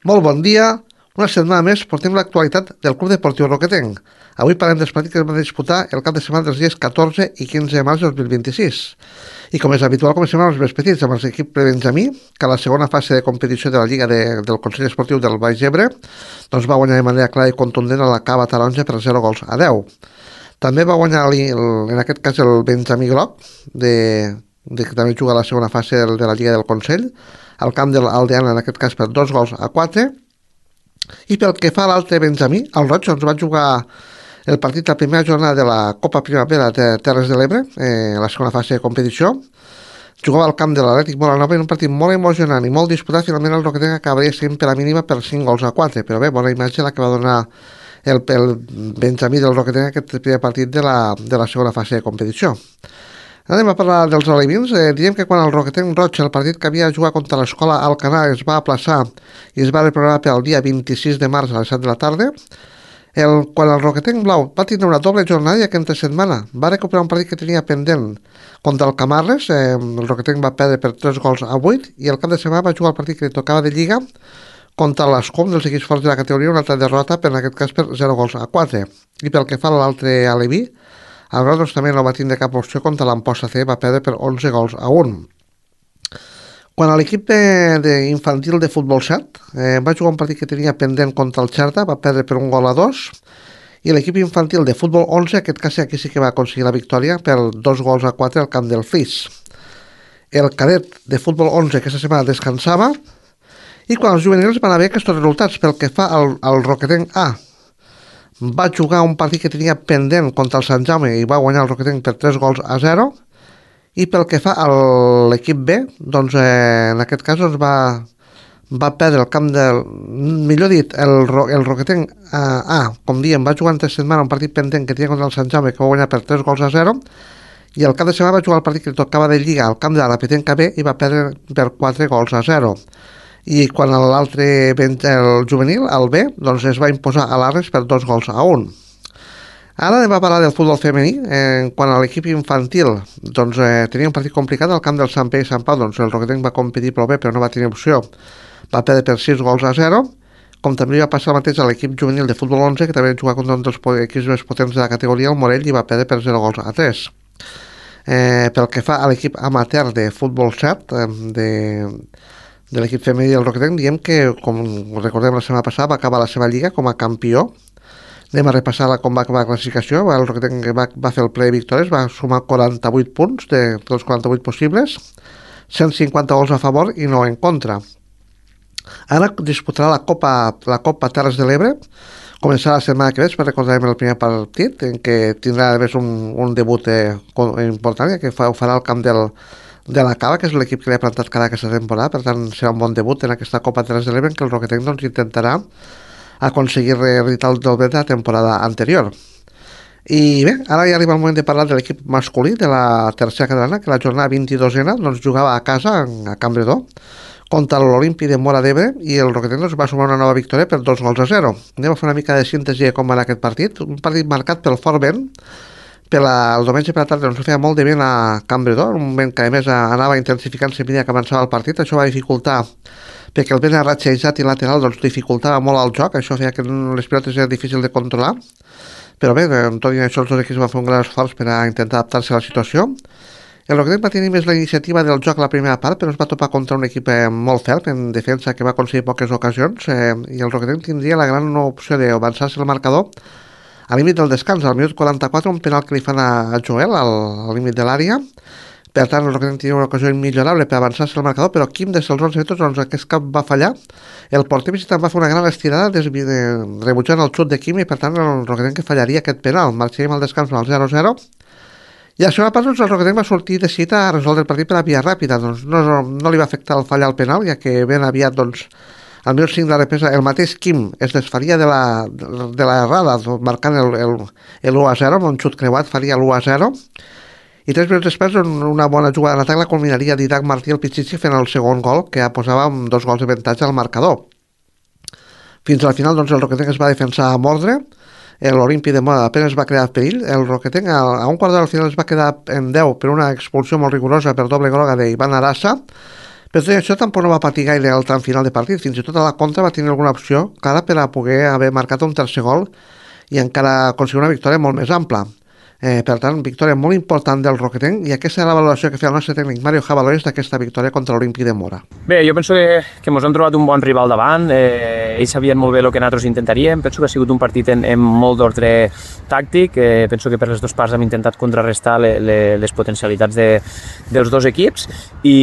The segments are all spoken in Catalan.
Molt bon dia. Una setmana més portem l'actualitat del Club Deportiu Roquetenc. Avui parlem dels partits que es van disputar el cap de setmana dels dies 14 i 15 de març de 2026. I com és habitual, comencem amb els més petits, amb l'equip Benjamí, que a la segona fase de competició de la Lliga del Consell Esportiu del Baix Ebre doncs va guanyar de manera clara i contundent a la Cava Taronja per 0-10. També va guanyar, en aquest cas, el Benjamí Groc, que també juga a la segona fase de la Lliga del Consell, al camp de l'Aldeana, en aquest cas per 2-4. I pel que fa a l'altre Benjamí, el Roig doncs, va jugar el partit la primera jornada de la Copa Primavera de Terres de l'Ebre, la segona fase de competició. Jugava al camp de l'Atlètic Molanova en un partit molt emocionant i molt disputat. Finalment el Roquetenc acabaria sent per la mínima per 5-4, però bé, bona imatge la que va donar el Benjamí del Roquetenc aquest primer partit de la segona fase de competició. Anem a parlar dels alevins. Diem que quan el Roquetenc Roig, el partit que havia jugat contra l'escola Alcanar, es va aplaçar i es va reprogramar pel dia 26 de març a les 7 de la tarda, quan el Roquetenc Blau va tindre una doble jornada i aquesta setmana va recuperar un partit que tenia pendent contra el Camarles, el Roquetenc va perdre per 3-8 i el cap de setmana va jugar el partit que li tocava de Lliga contra l'Escom dels equips forts de la categoria, una altra derrota, per en aquest cas per 0-4. I pel que fa a l'altre aleví, el Grau doncs, també no va tindre cap opció contra l'Amposta C, va perdre per 11-1. Quan a l'equip infantil de futbol 7 va jugar un partit que tenia pendent contra el Xerta, va perdre per 1-2, i l'equip infantil de futbol 11, aquest cas aquí sí que va aconseguir la victòria per 2-4 al camp del Flix. El cadet de futbol 11 aquesta setmana descansava, i quan els juvenils van haver aquests resultats, pel que fa al Roquetenc A, va jugar un partit que tenia pendent contra el Sant Jaume i va guanyar el Roquetenc per 3-0, i pel que fa a l'equip B, doncs en aquest cas doncs, va perdre el camp del... Millor dit, el Roquetenc com diem, va jugar entre setmana un partit pendent que tenia contra el Sant Jaume que va guanyar per 3-0, i el cap de setmana va jugar el partit que li tocava de Lliga al camp de la Petenca B i va perdre per 4-0. I quan l'altre, el juvenil, el B, doncs es va imposar a l'Arres per 2-1. Ara anem a parlar del futbol femení. Quan a l'equip infantil doncs, tenia un partit complicat al camp del Sant Pere i Sant Pau, doncs el Roquetenc va competir prou bé però no va tenir opció, va perdre per 6-0, com també va passar el mateix a l'equip juvenil de futbol 11, que també va jugar contra un dels equips més potents de la categoria, el Morell, i va perdre per 0-3. Pel que fa a l'equip amateur de futbol 7 de l'equip femení del Roquetenc, diem que, com recordem la setmana passada, va acabar la seva lliga com a campió. Anem a repassar com va acabar la classificació. El Roquetenc va fer el ple de victòries, va sumar 48 punts dels 48 possibles, 150 gols a favor i 9 en contra. Ara disputarà la Copa Terres de l'Ebre, començarà la setmana que ve, per recordarem el primer partit, en què tindrà a més un debut important, que ho farà al camp de la Cava, que és l'equip que li ha plantat cara aquesta temporada. Per tant serà un bon debut en aquesta Copa Terres de l'Ebre, en què el Roquetenc doncs, intentarà aconseguir reeditar el doble de la temporada anterior. I bé, ara ja arriba el moment de parlar de l'equip masculí de la tercera catalana, que la jornada 22a doncs, jugava a casa, a Campredó, contra l'Olímpic de Móra d'Ebre, i el Roquetenc doncs, va sumar una nova victòria per 2-0. Anem a fer una mica de síntesi de com va anar aquest partit. Un partit marcat pel fort vent. El diumenge per la tarda doncs, feia molt de vent a Campredó, un vent que a més anava intensificant-se a mesura que avançava el partit. Això va dificultar, perquè el vent arratxejat i lateral doncs, dificultava molt el joc. Això feia que les pilotes eren difícil de controlar, però bé, tot i això els dos equips van fer un gran esforç per a intentar adaptar-se a la situació. El Roquetenc va tenir més la iniciativa del joc a la primera part, però es va topar contra un equip molt ferm en defensa, que va aconseguir poques ocasions, i el Roquetenc tindria la gran opció d'avançar-se el marcador al límit del descans, al minut 44, un penal que li fan a Joel al límit de l'àrea. Per tant, el Roquetenc tenia una ocasió immillorable per avançar-se el marcador, però Quim, des dels 11 metres, doncs aquest cap va fallar. El porter visitant va fer una gran estirada rebutjant el xut de Quim, i per tant el Roquetenc que fallaria aquest penal. Marxaríem al descans al 0-0. I a la segona part doncs, el Roquetenc va sortir decidit a resoldre el partit per la via ràpida. Doncs, no li va afectar el fallar al penal, ja que ben aviat doncs, al minut 5 de la represa, el mateix Quim es desfaria de l'errada, marcant l'1-0, amb un xut creuat faria l'1-0, i 3 minuts després una bona jugada d'atac la culminaria Didac Martí el Pichichi fent el segon gol, que posava amb 2 gols d'avantatge al marcador. Fins al final doncs, el Roquetenc es va defensar a mordre, l'Olímpic de Móra apenas va crear perill. El Roquetenc a un quart d'hora al final es va quedar en 10 per una expulsió molt rigorosa per doble groga d'Ivan Arassa, Però tot i això tampoc no va patir gaire el tram final de partit, fins i tot a la contra va tenir alguna opció clara per a poder haver marcat un tercer gol i encara aconseguir una victòria molt més ampla. Per tant, victòria molt important del Roquetenc, i aquesta és la valoració que feia el nostre tècnic Mario Jabalores d'aquesta victòria contra l'Olímpic de Mora. Bé, jo penso que ens hem trobat un bon rival davant, ells sabien molt bé el que nosaltres intentaríem, penso que ha sigut un partit en molt d'ordre tàctic, penso que per les dues parts hem intentat contrarrestar les potencialitats dels dos equips i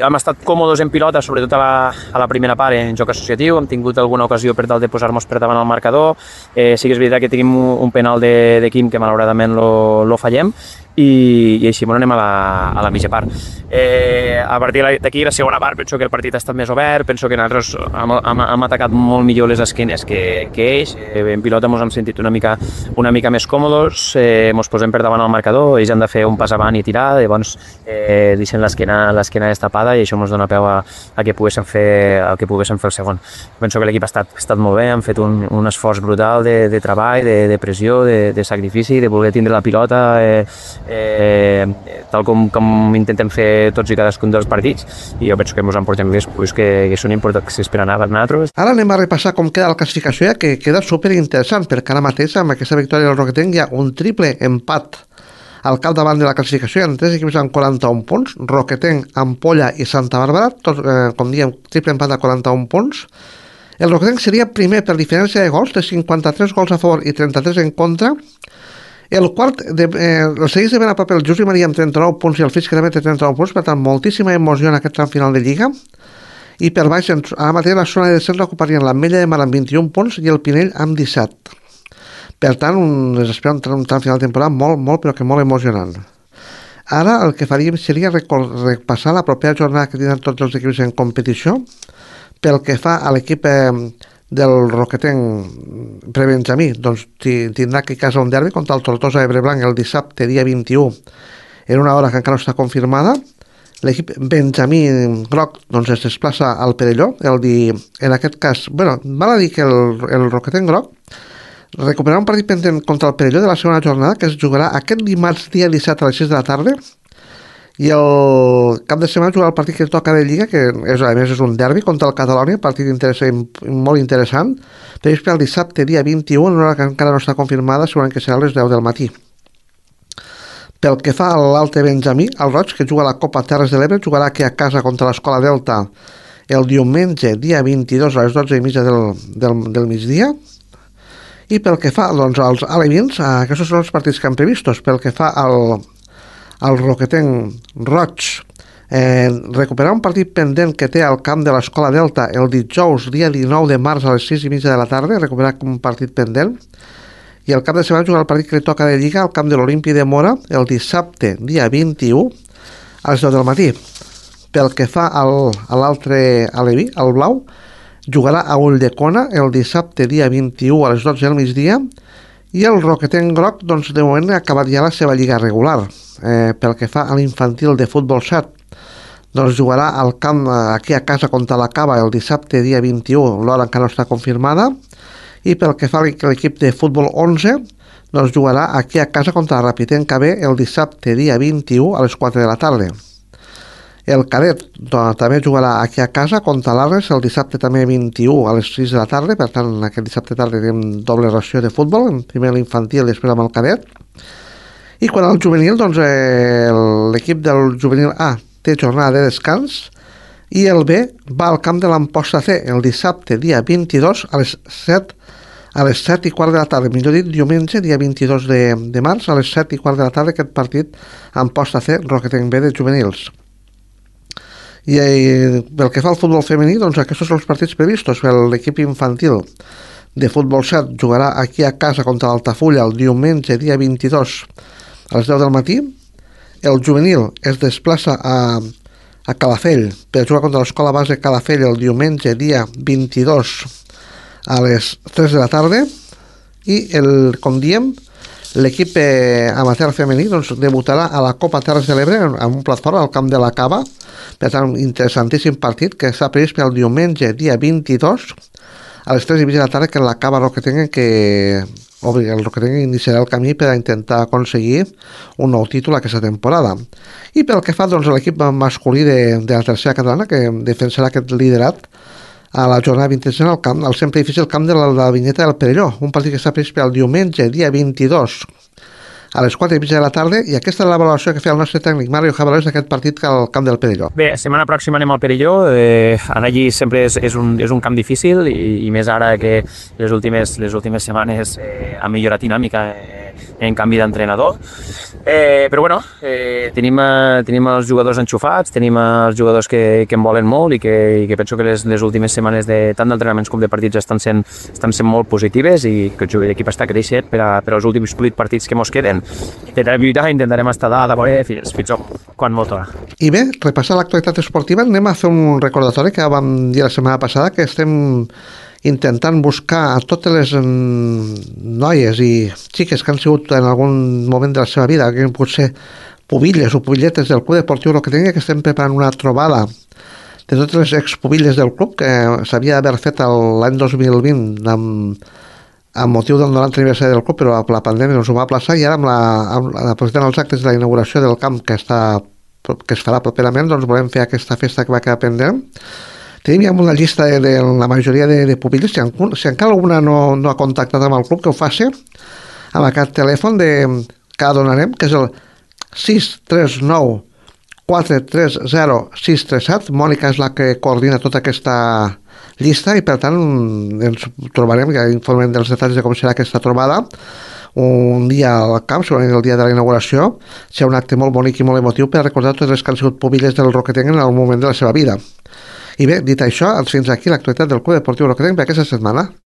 hem estat còmodes en pilota, sobretot a la primera part en joc associatiu, hem tingut alguna ocasió per tal de posar-nos per davant al marcador, sí que és veritat que tenim un penal de Quim que malauradament lo fallem i així anem a la mitja part. A partir d'aquí, la segona part, penso que el partit ha estat més obert, penso que nosaltres hem atacat molt millor les esquenes que ells, en pilota ens hem sentit una mica més còmodes, ens posem per davant al marcador, ells han de fer un pas avant i tirar, llavors deixen l'esquena destapada i això ens dona peu a que poguéssim fer el segon. Penso que l'equip ha estat molt bé, han fet un esforç brutal de treball, de pressió, de sacrifici, de voler tindre la pilota, tal com intentem fer tots i cadascun dels partits, i jo penso que ens emportem després que són importants per anar per nosaltres. Ara anem a repassar com queda la classificació, que queda superinteressant, perquè ara mateix amb aquesta victòria del Roquetenc hi ha un triple empat al capdavant de la classificació. Hi ha 3 equips amb 41 punts, Roquetenc, Ampolla i Santa Bàrbara, tots, com diem, triple empat a 41 punts. El Roquetenc seria primer per diferència de gols, de 53 gols a favor i 33 en contra. El quart, el segueix de ben a prop el José Maria amb 39 punts i el Fisc també té 39 punts, per tant, moltíssima emoció en aquest tram final de Lliga. I per baix, ara mateix la zona de descens l'ocuparien l'Ametlla de Mar amb 21 punts i el Pinell amb 17. Per tant, es espera un tram final de temporada molt, però que molt emocionant. Ara el que faríem seria repassar la propera jornada que tindran tots els equips en competició. Pel que fa a l'equip del Roquetenc prebenjamí, doncs tindrà aquí a casa un derbi contra el Tortosa Ebreblanc el dissabte, dia 21, en una hora que encara no està confirmada. L'equip benjamí groc doncs es desplaça al Perelló, en aquest cas, val a dir que el Roquetenc groc recuperarà un partit pendent contra el Perelló de la segona jornada, que es jugarà aquest dimarts dia 17 a les 6 de la tarda, i el cap de setmana jugarà el partit que toca de Lliga, que a més és un derbi contra el Catalònia, partit molt interessant, previst per el dissabte dia 21, en una hora que encara no està confirmada, segurament que serà a les 10 del matí. Pel que fa a l'Alte Benjamí, el Roig, que juga a la Copa Terres de l'Ebre, jugarà aquí a casa contra l'Escola Delta el diumenge dia 22 a les 12:30 del migdia. I pel que fa als alevins, aquests són els partits que han previstos. Pel que fa al Roquetenc Roig, recuperar un partit pendent que té al camp de l'Escola Delta el dijous, dia 19 de març a les 6:30 de la tarda, recuperar un partit pendent, i el cap de setmana jugar el partit que li toca de Lliga al camp de l'Olímpic de Mora el dissabte, dia 21 a les 10 del matí. Pel que fa a l'altre aleví, el blau, jugarà a Ulldecona el dissabte, dia 21 a les 12 del migdia, i el Roquetenc groc, doncs, de moment ha acabat ja la seva lliga regular. Pel que fa a l'infantil de futbol 7, doncs jugarà al camp aquí a casa contra la Cava el dissabte dia 21, l'hora encara no està confirmada, i pel que fa a l'equip de futbol 11, doncs jugarà aquí a casa contra la Rapitenc KB el dissabte dia 21 a les 4 de la tarda. El cadet també jugarà aquí a casa contra l'Arres el dissabte també 21 a les 6 de la tarda, per tant aquest dissabte tarda tenim doble ració de futbol, primer l'infantil i després amb el cadet. I quan al juvenil, doncs l'equip del juvenil A té jornada de descans i el B va al camp de l'Amposta C el dissabte dia 22 a les 7 i quart de la tarda, millor dit diumenge dia 22 de març a les 7 i quart de la tarda, aquest partit Amposta C Roquetenc B de juvenils. I pel que fa al futbol femení, doncs aquests són els partits previstos. L'equip infantil de futbol 7 jugarà aquí a casa contra l'Altafulla el diumenge dia 22 a les 10 del matí. El juvenil es desplaça a Calafell per jugar contra l'Escola Base Calafell el diumenge dia 22 a les 3 de la tarda. I com diem, l'equip amateur femení doncs, debutarà a la Copa Terres de l'Ebre amb un plat fort al camp de la Cava. Per tant, un interessantíssim partit que està previst per el diumenge dia 22 a les 3:30 de la tarda, que la Cava Roquetenc, que el Roquetenc iniciarà el camí per a intentar aconseguir un nou títol aquesta temporada. I pel que fa doncs, a l'equip masculí de la tercera catalana, que defensarà aquest liderat a la jornada 26 al sempre difícil camp de la Vinyeta del Perelló, un partit que està previst per al diumenge, dia 22, a les 4:30 de la tarda, i aquesta és la valoració que feia el nostre tècnic Mario Jabalós d'aquest partit al camp del Perelló. Bé, setmana pròxima anem al Perelló, anar allí sempre és un camp difícil i més ara que les últimes setmanes ha millorat dinàmica en canvi d'entrenador. Però bueno, tenim els jugadors enxufats, tenim els jugadors que en volen molt i que penso que les últimes setmanes tant d'entrenaments com de partits estan sent molt positives i que l'equip està creixent per als últims 8 partits que ens queden. Intentarem lluitar, intentarem estar dalt a veure fins quan molt torna. I bé, repassar l'actualitat esportiva, anem a fer un recordatori que vam dir la setmana passada, que estem intentant buscar a totes les noies i xiques que han sigut en algun moment de la seva vida, que han pogut ser pubilles o pubilletes del Club Deportiu Roquetenc, que estem preparant una trobada de totes les expubilles del club que s'havia d'haver fet l'any 2020 amb motiu del 90 aniversari del club, però la pandèmia ens ho va aplaçar, i ara aprofitant els actes de la inauguració del camp que es farà properament, doncs volem fer aquesta festa que va quedar pendent. Tenim ja una llista de la majoria de pubilles. Si encara alguna no ha contactat amb el club, que ho faci amb aquest telèfon que donarem, que és el 639 430 637. Mònica és la que coordina tota aquesta llista i per tant ens trobarem, ja informem dels detalls de com serà aquesta trobada un dia al camp, segurament el dia de la inauguració. Serà un acte molt bonic i molt emotiu per recordar totes les que han sigut pubilles del Roquetenc en algun moment de la seva vida. I bé, dit això, fins aquí l'actualitat del Club Deportiu Roquetenc per aquesta setmana.